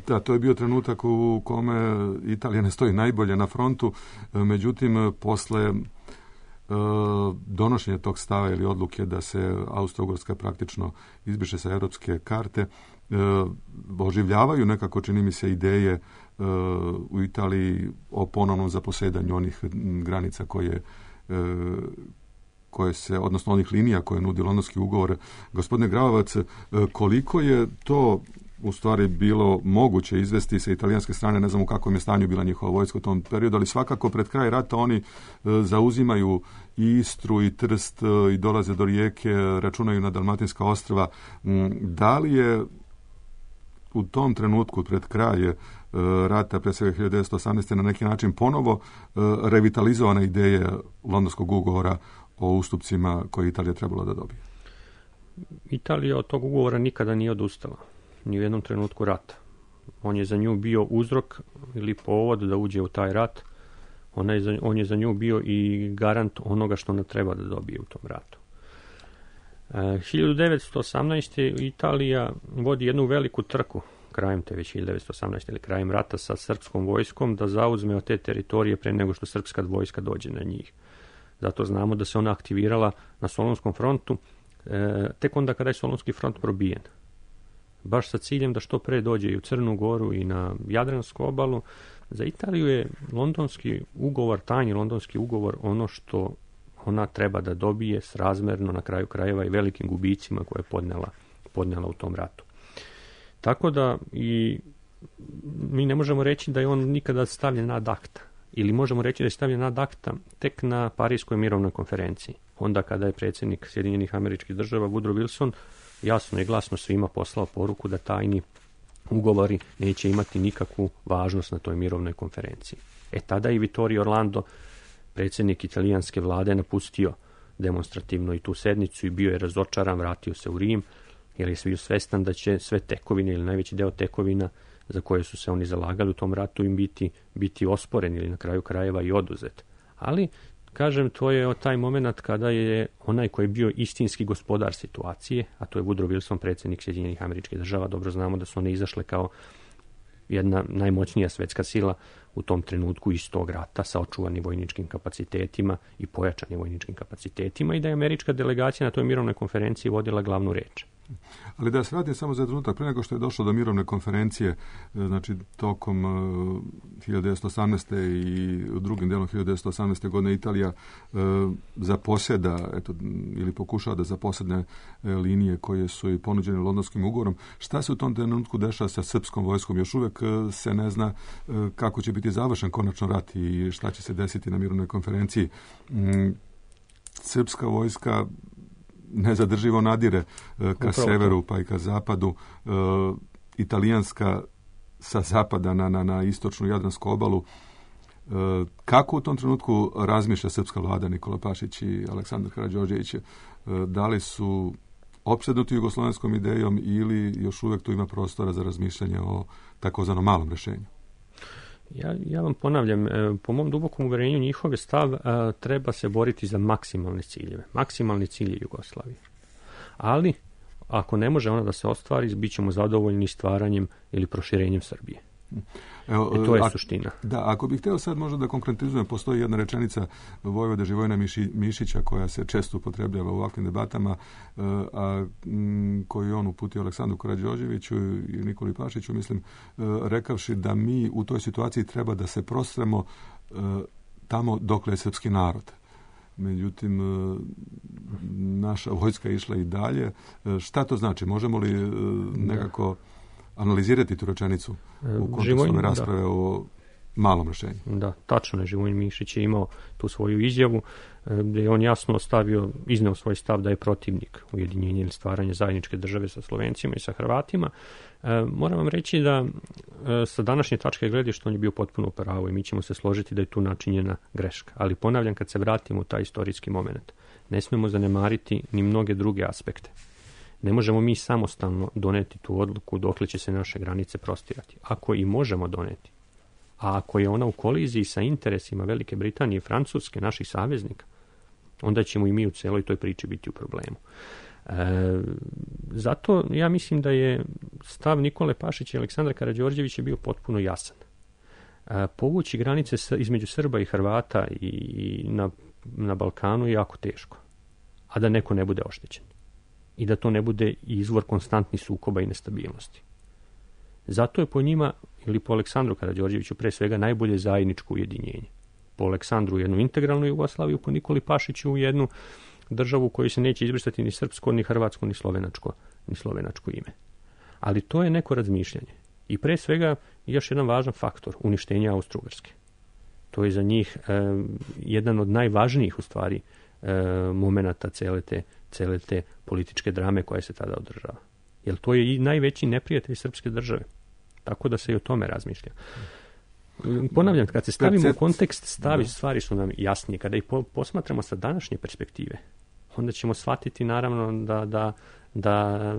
Da, to je bio trenutak u kome Italija ne stoji najbolje na frontu, međutim posle donošenja tog stava ili odluke da se Austro-Ugarska praktično izbriše sa europske karte, oživljavaju nekako, čini mi se, ideje u Italiji o ponovnom zaposedanju onih granica koje se, odnosno onih linija koje nudi Londonski ugovor. Gospodine Gravovac, koliko je to u stvari bilo moguće izvesti sa italijanske strane, ne znam u kakvom je stanju bila njihova vojska u tom periodu, ali svakako pred kraj rata oni zauzimaju i Istru i Trst i dolaze do Rijeke, računaju na Dalmatinska ostrva. Da li je u tom trenutku pred kraj rata, pre svega 1918. na neki način ponovo revitalizovana ideja Londonskog ugovora o ustupcima koje Italija trebala da dobije? Italija od tog ugovora nikada nije odustala, ni u jednom trenutku rata. On je za nju bio uzrok ili povod da uđe u taj rat. On je za nju bio i garant onoga što ona treba da dobije u tom ratu. 1918. Italija vodi jednu veliku trku krajem te već 1918. ili krajem rata sa srpskom vojskom da zauzme od te teritorije pre nego što srpska vojska dođe na njih. Zato znamo da se ona aktivirala na Solunskom frontu tek onda kada je Solunski front probijen. Baš sa ciljem da što pre dođe i u Crnu Goru i na Jadransku obalu. Za Italiju je londonski ugovor, tajni londonski ugovor, ono što ona treba da dobije srazmerno na kraju krajeva i velikim gubicima koje je podnela u tom ratu. Tako da i mi ne možemo reći da je on nikada stavljen ad acta. Ili možemo reći da je stavljen ad acta tek na Parijskoj mirovnoj konferenciji. Onda kada je predsjednik Sjedinjenih Američkih Država Woodrow Wilson jasno i glasno svima poslao poruku da tajni ugovori neće imati nikakvu važnost na toj mirovnoj konferenciji. Tada je Vittorio Orlando, predsjednik italijanske vlade, napustio demonstrativno i tu sednicu i bio je razočaran, vratio se u Rim, jer je bio svestan da će sve tekovine ili najveći deo tekovina za koje su se oni zalagali u tom ratu im biti osporen ili na kraju krajeva i oduzet. Ali, kažem, to je taj moment kada je onaj koji je bio istinski gospodar situacije, a to je Woodrow Wilson, predsjednik Sjedinjenih Američkih Država. Dobro znamo da su one izašle kao jedna najmoćnija svetska sila u tom trenutku iz tog rata sa očuvanim vojničkim kapacitetima i pojačanim vojničkim kapacitetima i da je američka delegacija na toj mirovnoj konferenciji vodila glavnu reč. Ali da se vratim samo za trenutak, prije nego što je došlo do mirovne konferencije, znači tokom 1918. i u drugim delom 1918. godine Italija zaposjeda, ili pokušava da zaposjedne linije koje su i ponuđene Londonskim ugovorom. Šta se u tom trenutku dešava sa srpskom vojskom? Još uvek se ne zna kako će biti završen konačno rat i šta će se desiti na mirovnoj konferenciji. Srpska vojska nezadrživo nadire ka severu pa i ka zapadu, italijanska sa zapada na istočnu Jadransku obalu. Kako u tom trenutku razmišlja srpska vlada, Nikola Pašić i Aleksandar Karađorđević? Da li su opsednuti jugoslovenskom idejom ili još uvijek tu ima prostora za razmišljanje o takozvanom malom rješenju? Ja vam ponavljam, po mom dubokom uverenju njihov stav treba se boriti za maksimalne ciljeve. Maksimalni cilj je Jugoslavije. Ali, ako ne može ona da se ostvari, bit ćemo zadovoljni stvaranjem ili proširenjem Srbije. To je suština. Da, ako bih htio sad možda da konkretizujem, postoji jedna rečenica Vojvode Živojina Mišića koja se često upotrebljava u ovakvim debatama, koju on uputio Aleksandru Karađorđeviću i Nikoli Pašiću, mislim, rekavši da mi u toj situaciji treba da se prostremo tamo dokle je srpski narod. Međutim, naša vojska je išla i dalje. Šta to znači? Možemo li nekako analizirati tu rečenicu u kontekstu ove rasprave o malom rješenju? Da, tačno je. Živojin Mišić je imao tu svoju izjavu gdje je on jasno izneo svoj stav da je protivnik ujedinjenja ili stvaranja zajedničke države sa Slovencima i sa Hrvatima. Moram vam reći da sa današnje tačke gledišta on je bio potpuno u pravu i mi ćemo se složiti da je tu načinjena greška. Ali ponavljam, kad se vratimo u taj istorijski moment, ne smemo zanemariti ni mnoge druge aspekte. Ne možemo mi samostalno doneti tu odluku dokle će se naše granice prostirati. Ako i možemo doneti, a ako je ona u koliziji sa interesima Velike Britanije i Francuske, naših saveznika, onda ćemo i mi u celoj toj priči biti u problemu. Zato ja mislim da je stav Nikole Pašića i Aleksandra Karađorđevića bio potpuno jasan. Povući granice između Srba i Hrvata i na Balkanu je jako teško, a da neko ne bude oštećen. I da to ne bude izvor konstantnih sukoba i nestabilnosti. Zato je po njima, ili po Aleksandru Karađorđeviću, pre svega najbolje zajedničko ujedinjenje. Po Aleksandru jednu integralnu Jugoslaviju, po Nikoli Pašiću jednu državu u kojoj se neće izbrisati ni srpsko, ni hrvatsko, ni slovenačko ime. Ali to je neko razmišljanje. I pre svega još jedan važan faktor, uništenje Austro-Ugarske. To je za njih jedan od najvažnijih u stvari momenata cele te političke drame koja se tada održava. Jer to je i najveći neprijatelj srpske države. Tako da se i o tome razmišlja. Ponavljam, kad se stavimo u kontekst, stvari su nam jasnije. Kada ih posmatramo sa današnje perspektive, onda ćemo shvatiti naravno da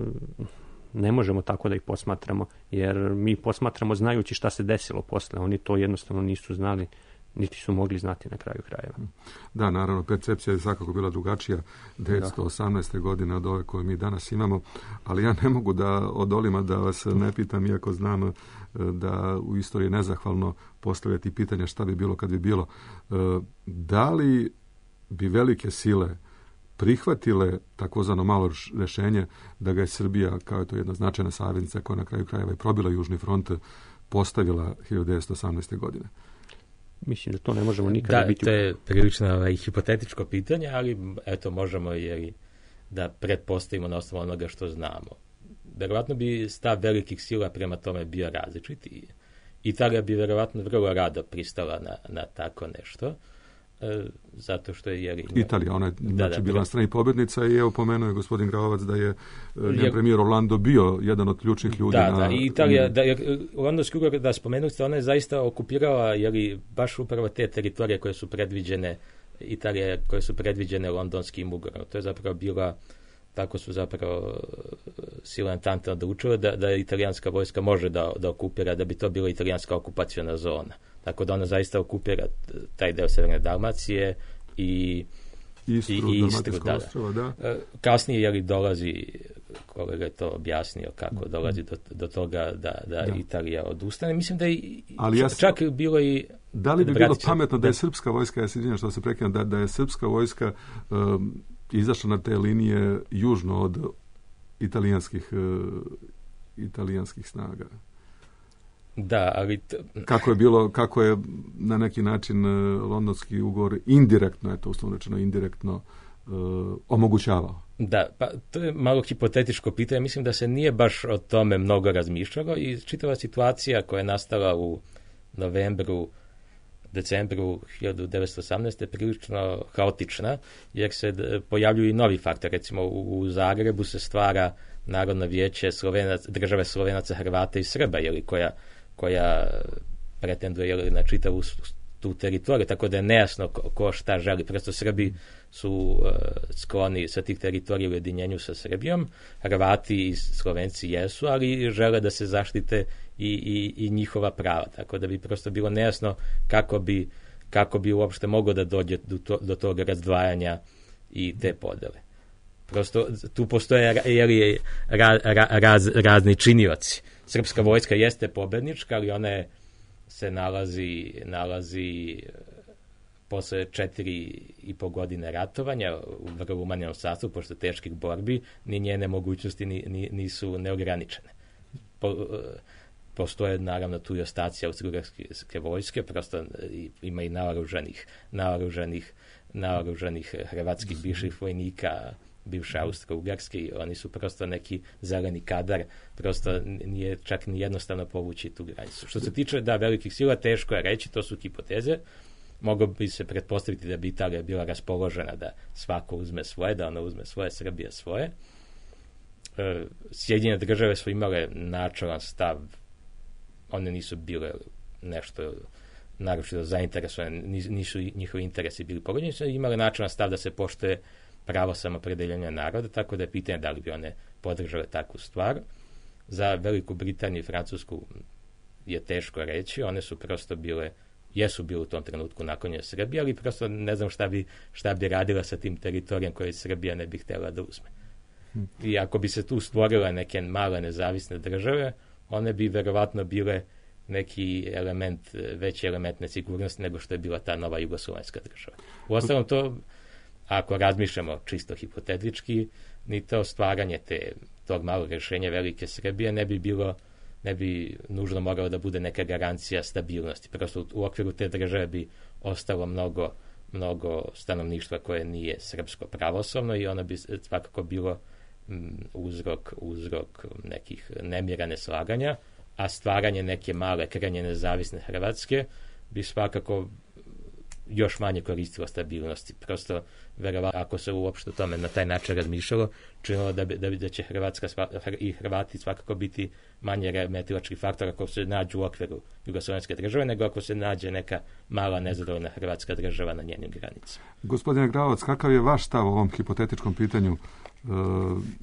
ne možemo tako da ih posmatramo, jer mi posmatramo znajući šta se desilo posle. Oni to jednostavno nisu znali, niti su mogli znati na kraju krajeva. Da, naravno, percepcija je svakako bila drugačija 1918. godine od ove koje mi danas imamo, ali ja ne mogu da odolima da vas ne pitam, iako znam da u istoriji je nezahvalno postavljati pitanja šta bi bilo kad bi bilo. Da li bi velike sile prihvatile takozvano malo rješenje da ga je Srbija, kao je to jedna značajna saveznica koja na kraju krajeva je probila Južni front, postavila 1918. godine? Mislim da to ne možemo nikada biti. Da, to je prilično hipotetičko pitanje, ali eto možemo da pretpostavimo na osnovu onoga što znamo. verovatno bi stav velikih sila prema tome bio različit i Italija bi verovatno vrlo rado pristala na tako nešto, zato što je... Italija, ona je bila na strani pobjednica i evo pomenuo je gospodin Gravovac da je njen premijer Orlando bio jedan od ključnih ljudi. Da, i Italija, londonski ugovor, da spomenuti, ona je zaista okupirala baš upravo te teritorije koje su predviđene Italije, koje su predviđene londonskim ugovorom. To je zapravo bila, tako su zapravo sile Entente odlučile da italijanska vojska može da okupira, da bi to bila italijanska okupaciona zona. Tako da ona zaista okupira taj deo Severne Dalmacije i Istru. Da. Kasnije dolazi, kolega je to objasnio, kako dolazi do toga da Italija odustane. Mislim da je čak bilo i... Da li bi bilo pametno da je srpska vojska, ja se izvinjam što se prekidam, da je srpska vojska izašla na te linije južno od italijanskih snaga? Da, ali... Kako je na neki način londonski ugovor indirektno, uslovno rečeno indirektno, omogućavao? Da, pa to je malo hipotetičko pitanje. Mislim da se nije baš o tome mnogo razmišljalo i čitava situacija koja je nastala u decembru 1918. je prilično haotična, jer se pojavljuju i novi faktor. Recimo u Zagrebu se stvara Narodno vijeće države Slovenaca, Hrvata i Srba, koja pretenduje na čitavu tu teritoriju, tako da je nejasno ko šta želi. Prosto Srbi su skloni sa tih teritorija u ujedinjenju sa Srbijom, Hrvati i Slovenci jesu, ali žele da se zaštite i njihova prava, tako da bi prosto bilo nejasno kako bi uopšte moglo da dođe do tog razdvajanja i te podele. Prosto tu postoje razni činioci. Srpska vojska jeste pobednička, ali ona se nalazi posle 4,5 godine ratovanja u vrlo umanjenom sastavu, pošto teških borbi, ni njene mogućnosti nisu neograničene. Postoje naravno tu i ostaci austrougarske vojske, prosto ima i naoružanih hrvatskih bivših vojnika, bivše Austro-Ugarske, i oni su prosto neki zeleni kadar, prosto nije čak ni jednostavno povući tu granicu. Što se tiče velikih sila, teško je reći, to su hipoteze. Moglo bi se pretpostaviti da bi Italija bila raspoložena da svako uzme svoje, da ona uzme svoje, Srbija svoje. Sjedinjene države su imale načelan stav, one nisu bile nešto naročito zainteresovane, nisu njihovi interesi bili pogođeni, su imale načelan stav da se poštuje pravo samopredeljenja naroda, tako da je pitanje da li bi one podržale takvu stvar. Za Veliku Britaniju i Francusku je teško reći, one su prosto jesu bile u tom trenutku naklonjene Srbije, ali prosto ne znam šta bi radila sa tim teritorijom koje Srbija ne bi htjela da uzme. I ako bi se tu stvorile neke male nezavisne države, one bi verovatno bile neki veći element nesigurnosti nego što je bila ta nova jugoslovenska država. Uostalom to, ako razmišljamo čisto hipotetički, ni to stvaranje tog malog rješenja Velike Srbije ne bi nužno moralo da bude neka garancija stabilnosti. Prosto u okviru te države bi ostalo mnogo stanovništva koje nije srpsko pravoslavno i ono bi svakako bilo uzrok nekih nemira, neslaganja, a stvaranje neke male, krajnje nezavisne Hrvatske bi svakako još manje koristilo stabilnosti. Prosto, verovatno, ako se uopšte o tome na taj način razmišljalo, činilo da će Hrvatska i Hrvati svakako biti manje remetilački faktor ako se nađu u okviru jugoslovenske države, nego ako se nađe neka mala nezadovoljna hrvatska država na njenim granicama. Gospodine Gravovac, kakav je vaš stav o ovom hipotetičkom pitanju?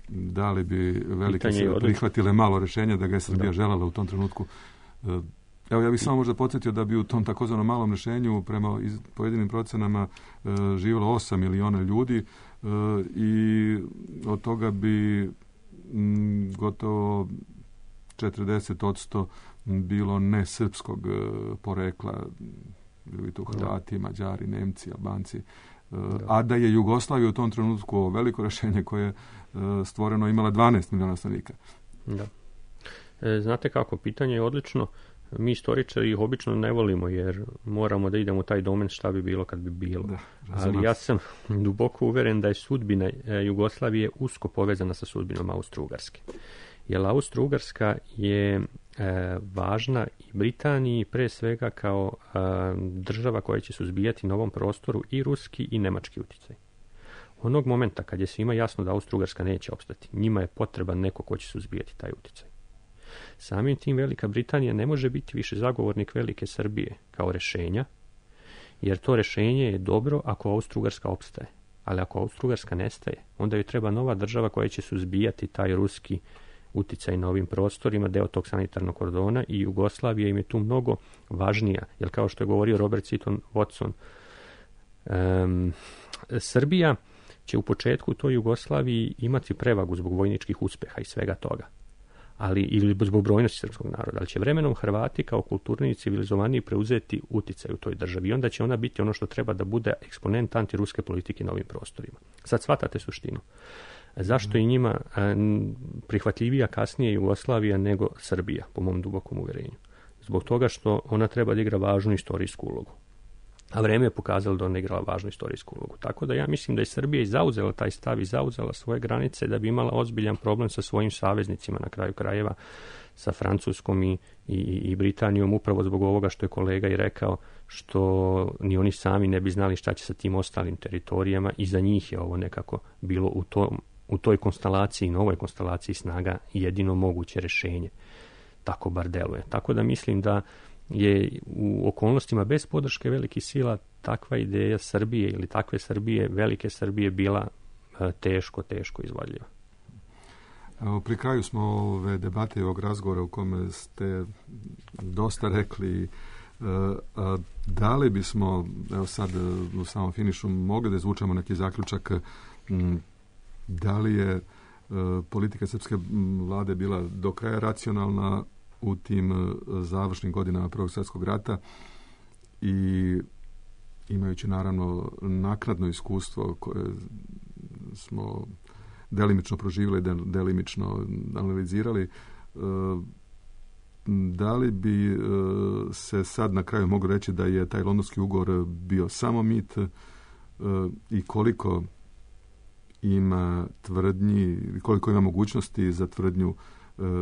Da li bi velike sile prihvatile malo rješenja da ga je Srbija željela u tom trenutku? Evo, ja bih samo možda podsjetio da bi u tom takozvanom malom rješenju prema pojedinim procenama živjelo 8 miliona ljudi i od toga bi gotovo 40% bilo nesrpskog porekla, bili tu Hrvati, Mađari, Nemci, Albanci, a da je Jugoslavija u tom trenutku veliko rješenje koje je stvoreno imala 12 miliona stanovnika. Da. Znate kako, pitanje je odlično. Mi istoričari ih obično ne volimo jer moramo da idemo u taj domen šta bi bilo kad bi bilo. Ali ja sam duboko uveren da je sudbina Jugoslavije usko povezana sa sudbinom Austro-Ugarske. Jer Austro-Ugarska je važna i Britaniji pre svega kao država koja će suzbijati na ovom prostoru i ruski i nemački uticaj. Onog momenta kad je svima jasno da Austro-Ugarska neće opstati, njima je potreban neko ko će suzbijati taj uticaj. Samim tim Velika Britanija ne može biti više zagovornik Velike Srbije kao rešenja, jer to rešenje je dobro ako Austro-Ugarska opstaje. Ali ako Austro-Ugarska nestaje, onda joj treba nova država koja će suzbijati taj ruski uticaj na ovim prostorima, deo tog sanitarnog kordona, i Jugoslavija im je tu mnogo važnija, jer kao što je govorio Robert Seaton Watson, Srbija će u početku u toj Jugoslaviji imati prevagu zbog vojničkih uspeha i svega toga, ili zbog brojnosti srpskog naroda, ali će vremenom Hrvati kao kulturni i civilizovaniji preuzeti uticaj u toj državi i onda će ona biti ono što treba da bude eksponent antiruske politike na ovim prostorima. Sad shvatate suštinu. Zašto je njima prihvatljivija kasnije Jugoslavija nego Srbija, po mom dubokom uverenju? Zbog toga što ona treba da igra važnu istorijsku ulogu. A vreme je pokazalo da ona igrala važnu istorijsku ulogu. Tako da ja mislim da je Srbija i zauzela taj stav i zauzela svoje granice da bi imala ozbiljan problem sa svojim saveznicima, na kraju krajeva sa Francuskom i Britanijom, upravo zbog ovoga što je kolega i rekao, što ni oni sami ne bi znali šta će sa tim ostalim teritorijama i za njih je ovo nekako bilo u toj konstelaciji, novoj konstelaciji snaga jedino moguće rešenje. Tako bar deluje. Tako da mislim da je u okolnostima bez podrške velikih sila takva ideja Srbije ili takve Srbije, velike Srbije, bila teško izvodljiva. Evo, pri kraju smo ove debate i ovog razgovora u kome ste dosta rekli, da li bismo, evo sad u samom finišu, mogli da izvučemo neki zaključak, da li je politika srpske vlade bila do kraja racionalna u tim završnim godinama Prvog svjetskog rata i imajući naravno naknadno iskustvo koje smo delimično proživjeli, delimično analizirali, da li bi se sad na kraju mogu reći da je taj Londonski ugovor bio samo mit i koliko ima tvrdnji, koliko ima mogućnosti za tvrdnju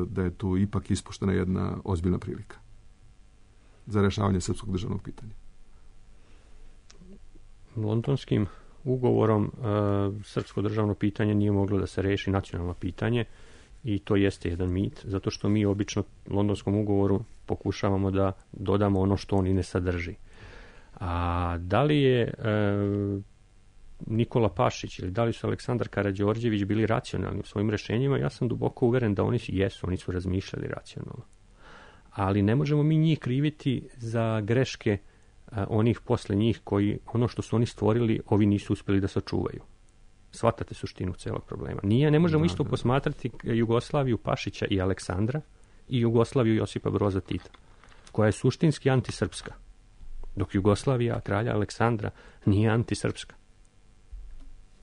da je tu ipak ispuštena jedna ozbiljna prilika za rješavanje srpskog državnog pitanja? Londonskim ugovorom srpsko državno pitanje nije moglo da se reši nacionalno pitanje i to jeste jedan mit, zato što mi obično Londonskom ugovoru pokušavamo da dodamo ono što on i ne sadrži. A da li je Nikola Pašić ili da li su Aleksandar Karađorđević bili racionalni u svojim rešenjima, ja sam duboko uveren da oni su razmišljali racionalno. Ali ne možemo mi njih kriviti za greške onih posle njih koji, ono što su oni stvorili, ovi nisu uspjeli da sačuvaju. Shvatate suštinu celog problema. Ne možemo isto posmatrati Jugoslaviju Pašića i Aleksandra i Jugoslaviju Josipa Broza Tita, koja je suštinski antisrpska, dok Jugoslavija kralja Aleksandra nije antisrpska.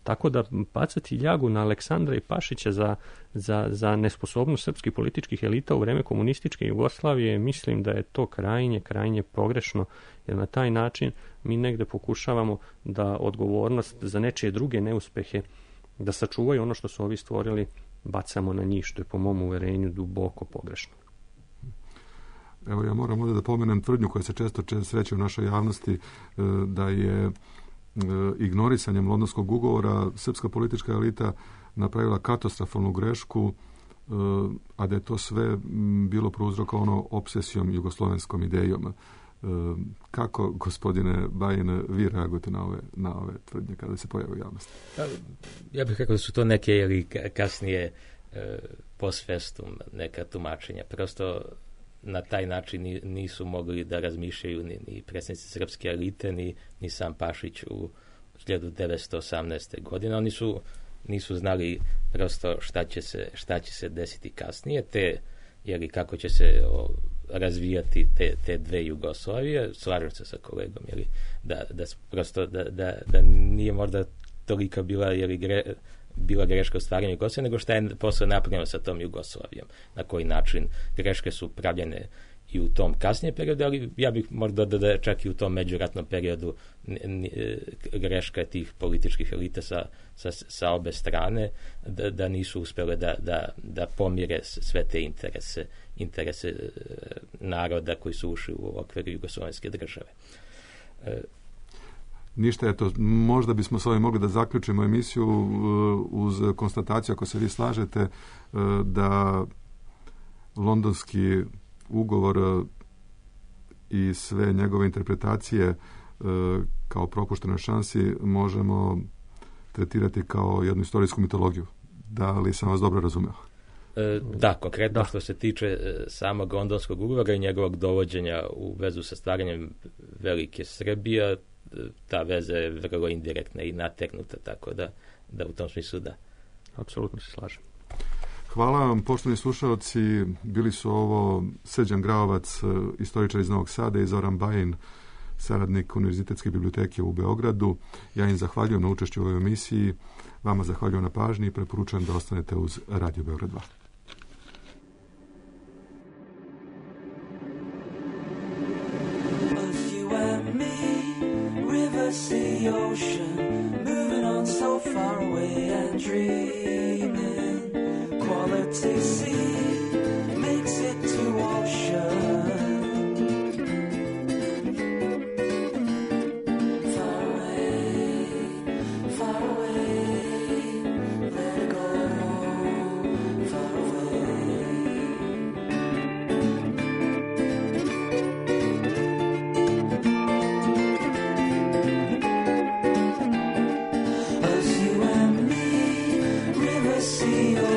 Tako da bacati ljagu na Aleksandra i Pašića za nesposobnost srpskih političkih elita u vreme komunističke Jugoslavije, mislim da je to krajnje pogrešno, jer na taj način mi negde pokušavamo da odgovornost za nečije druge neuspehe, da sačuvaju ono što su ovi stvorili, bacamo na njih, što je po mom uverenju duboko pogrešno. Evo, ja moram ovdje da pomenem tvrdnju koja se često sreće u našoj javnosti, da je ignorisanjem Londonskog ugovora srpska politička elita napravila katastrofalnu grešku, a da je to sve bilo prouzrokovano obsesijom jugoslovenskom idejom. Kako, gospodine Bajin, vi reagujete na ove tvrdnje kada se pojave u javnosti? Ja bih rekao da su to neke ili kasnije post festum neka tumačenja. Prosto na taj način nisu mogli da razmišljaju ni predsjednici srpske elite, ni sam Pašić u 1918. godine. Oni nisu znali prosto šta će se desiti kasnije, kako će se razvijati te dve Jugoslavije. Slažem se sa kolegom, da nije možda tolika bila greška u stvaranju Jugoslavije, nego šta je posle napravljeno sa tom Jugoslavijom. Na koji način greške su pravljene i u tom kasnijem periodu, ali ja bih možda da čak i u tom međuratnom periodu greška tih političkih elita sa obe strane, da nisu uspjele da pomire sve te interese naroda koji su ušli u okviru jugoslovenske države. Ništa, eto, možda bismo s ovim mogli da zaključimo emisiju uz konstataciju, ako se vi slažete, da londonski ugovor i sve njegove interpretacije kao propuštenoj šansi možemo tretirati kao jednu istorijsku mitologiju. Da li sam vas dobro razumeo? Da, konkretno što se tiče samog londonskog ugovora i njegovog dovođenja u vezu sa stvaranjem velike Srbije, ta veza je vrlo indirektna i nategnuta, tako da u tom smislu da. Apsolutno se slažem. Hvala vam, poštovani slušalci. Bili su ovo Srđan Graovac, istoričar iz Novog Sada, i Zoran Bajin, saradnik Univerzitetske biblioteke u Beogradu. Ja im zahvaljujem na učešću u ovoj emisiji. Vama zahvaljujem na pažnji i preporučujem da ostanete uz Radio Beograd 2. The ocean, moving on so far away and dreaming. Quality sea makes it to ocean. Far away, let it go. Far away. As you and me, river, sea,